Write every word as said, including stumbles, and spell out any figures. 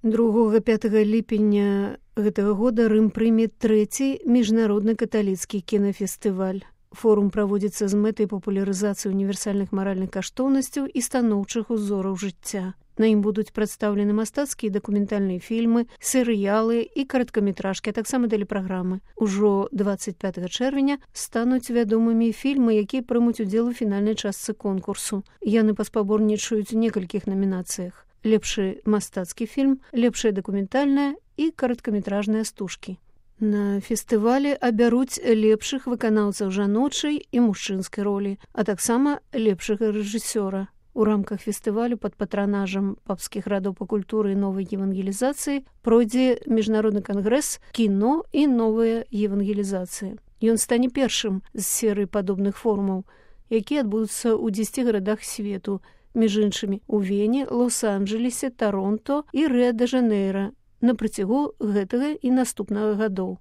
другога пятага ліпеня гэтага года Рым прыме трэці міжнародны каталіцкі кінафестываль. Форум праводзіцца з мэтай папулярызацыі універсальных маральных каштоўнасцяў і станоўчых узораў жыцця. На ім будуць прадстаўлены мастацкія і дакументальныя фільмы, серыялы і кароткаметражкі, а таксама тэлепраграмы. Ужо дваццаць пятага чэрвеня стануць вядомымі фільмы, якія прымуць удзел у фінальнай частцы конкурсу. Яны паспаборнічаюць у некалькіх намінацыях. Лепшы мастацкі фільм, лепшая дакументальная і кароткаметражныя стужкі. На фестывалі абяруць лепшых выканаўцаў жаночай і мужчынскай ролі, а таксама лепшага рэжысёра. У рамках фестывалю пад патранажам папскіх радоў па культуры і новай евангелізацыі пройдзе міжнародны кангрэс кіно і новая евангелізацыя. Ён стане першым з серыі падобных форумаў, якія адбудуцца ў дзесяці гарадах свету, між іншымі у Вене, Лос-Анджелесе, Таронто і Рыа-де-Жанейра на працягу гэтага і наступнага гадоў.